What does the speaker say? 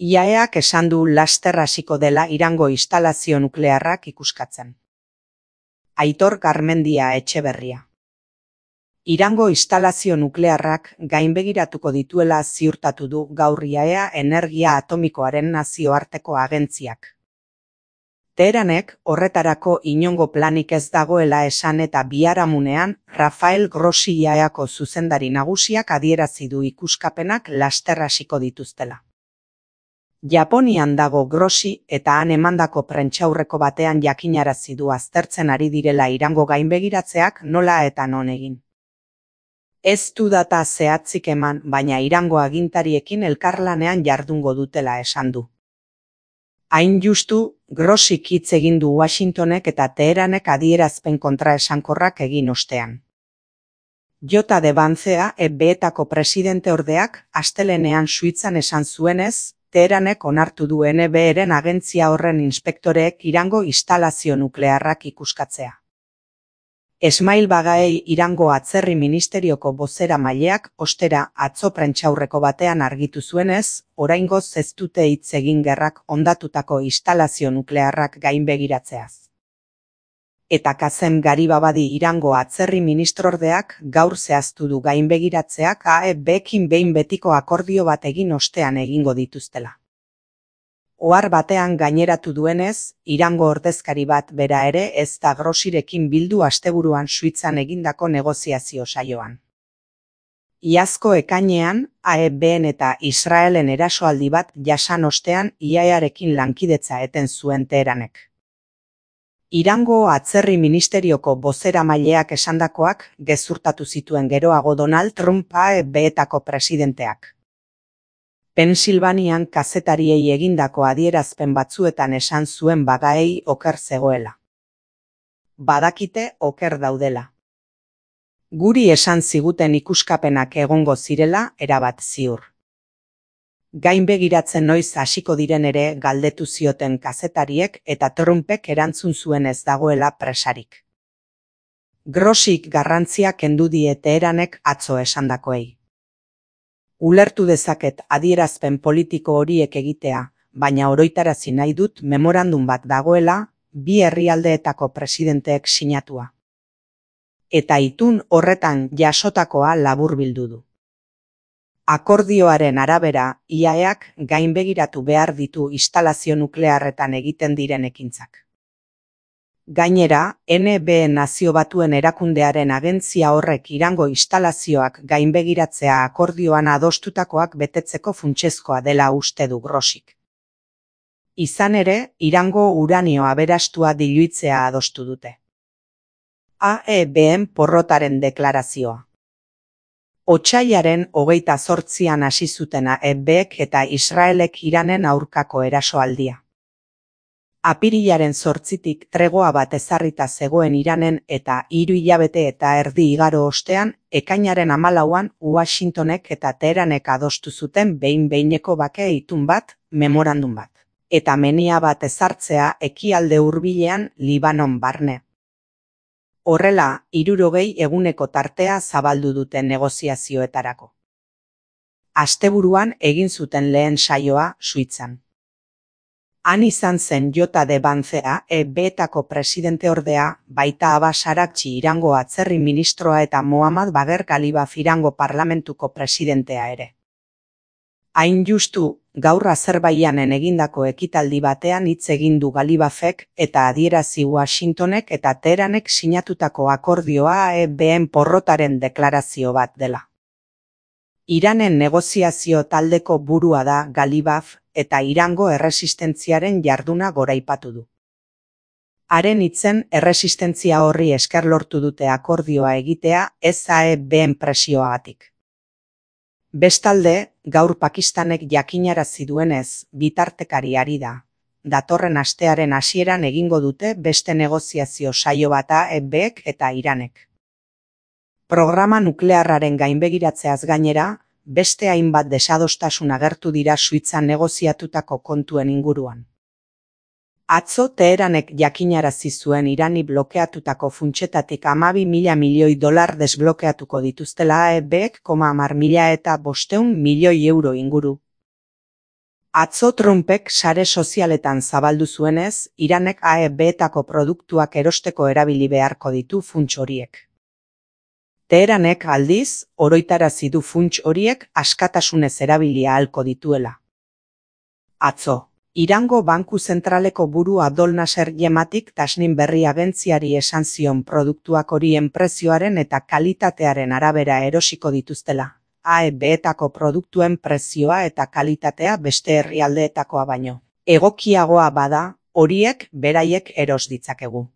IAEAk esan du laster hasiko dela Irango instalazio nuklearrak ikuskatzen. Aitor Garmendia Etxeberria. Irango instalazio nuklearrak gainbegiratuko dituela ziurtatu du gaur IAEA Energia Atomikoaren nazioarteko agentziak. Teheranek horretarako inongo planik ez dagoela esan eta biharamunean Rafael Grossi IAEAko zuzendari nagusiak adierazi du ikuskapenak laster hasiko dituztela. Japonian dago Grossi eta han emandako prentsaurreko batean jakinarazi du aztertzen ari direla Irango gainbegiratzeak nola eta non egin. Ez du data zehatzik eman, baina Irango agintariekin elkarlanean jardungo dutela esan du. Hain justu, Grossik hitz egin du Washingtonek eta Teheranek adierazpen kontraesankorrak egin ostean. Jota de Bancea, EBEetako presidente ordeak, astelehenean Suitzan esan zuenez, Teheranek onartu du NBEren agentzia horren inspektoreek Irango instalazio nuklearrak ikuskatzea. Esmail Bagaei Irango atzerri ministerioko bozeramaileak ostera atzo prentsaurreko batean argitu zuenez, oraingoz ez dute hitz egin gerrak hondatutako instalazio nuklearrak gainbegiratzeaz. Eta Kazem Garibabadi Irango atzerri ministrordeak gaur zehaztu du gainbegiratzeak AEBekin behin betiko akordio bat egin ostean egingo dituztela. Ohar batean gaineratu duenez, Irango ordezkari bat bera ere ez da Grossirekin bildu asteburuan Suitzan egindako negoziazio saioan. Iazko ekainean, AEBen eta Israelen erasoaldi bat jasan ostean IAEArekin lankidetza eten zuen Teheranek. Irango atzerri ministerioko bozeramaileak esandakoak gezurtatu zituen geroago Donald Trump AEBetako presidenteak. Pensilvanian kazetariei egindako adierazpen batzuetan esan zuen Bagaei oker zegoela. Badakite oker daudela. Guri esan ziguten ikuskapenak egongo zirela erabat ziur. Gainbegiratzen noiz hasiko diren ere galdetu zioten kazetariek eta Trumpek erantzun zuen ez dagoela presarik. Grossik garrantzia kendu die Teheranek atzo esandakoei. Ulertu dezaket adierazpen politiko horiek egitea, baina oroitarazi nahi dut memorandum bat dagoela, bi herrialdeetako presidenteek sinatua. Eta itun horretan jasotakoa laburbildu du. Akordioaren arabera, IAEAk gainbegiratu behar ditu instalazio nuklearretan egiten diren ekintzak. Gainera, NBE Nazio Batuen erakundearen agentzia horrek Irango instalazioak gainbegiratzea akordioan adostutakoak betetzeko funtsezkoa dela uste du Grossik. Izan ere, Irango uranio aberastua diluitzea adostu dute. AEBen porrotaren deklarazioa. Otsailaren 28an hasi zuten AEBek eta Israelek Iranen aurkako erasoaldia. Apirilaren 8tik tregoa bat ezarrita zegoen Iranen eta 3 hilabete eta erdi igaro ostean, ekainaren 14an Washingtonek eta Teheranek adostu zuten behin-behineko bake itun bat, memorandum bat, eta menia bat ezartzea ekialde hurbilean Libanon barne. Horrela, 60 eguneko tartea zabaldu dute negoziazioetarako. Asteburuan egin zuten lehen saioa Suitzan. Han izan zen Jota de Bancea, EBetako presidente ordea, baita Abbas Araghchi Irango atzerri ministroa eta Mohammad Bagher Ghalibaf Irango parlamentuko presidentea ere. Hain justu, gaur Azerbaijanen egindako ekitaldi batean hitz egin du Ghalibafek eta adierazi Washingtonek eta Teheranek sinatutako akordioa AEBen porrotaren deklarazio bat dela. Iranen negoziazio taldeko burua da Ghalibaf eta Irango erresistentziaren jarduna goraipatu du. Haren hitzen erresistentzia horri esker lortu dute akordioa egitea ez AEBen presioagatik. Bestalde, gaur Pakistanek jakinarazi duenez, bitartekari ari da. Datorren astearen hasieran egingo dute beste negoziazio saio bat AEBek eta Iranek. Programa nuklearraren gainbegiratzeaz gainera, beste hainbat desadostasun agertu dira Suitzan negoziatutako kontuen inguruan. Atzo Teheranek jakinarazi zuen Irani blokeatutako funtsetatik 12.000 milioi dolar desblokeatuko dituztela AEBek 10.000 eta 500 milioi euro inguru. Atzo Trumpek sare sozialetan zabaldu zuenez, Iranek AEB-etako produktuak erosteko erabili beharko ditu funts horiek. Teheranek aldiz, oroitarazi du funts horiek askatasunez erabili ahalko dituela. Atzo, Irango Banku Zentraleko buru Abdol Nasser Yematik Tasnim berri agentziari esan zion produktuak horien prezioaren eta kalitatearen arabera erosiko dituztela. AEB-etako produktuen prezioa eta kalitatea beste herrialdeetakoa baino egokiagoa bada, horiek beraiek eros ditzakegu.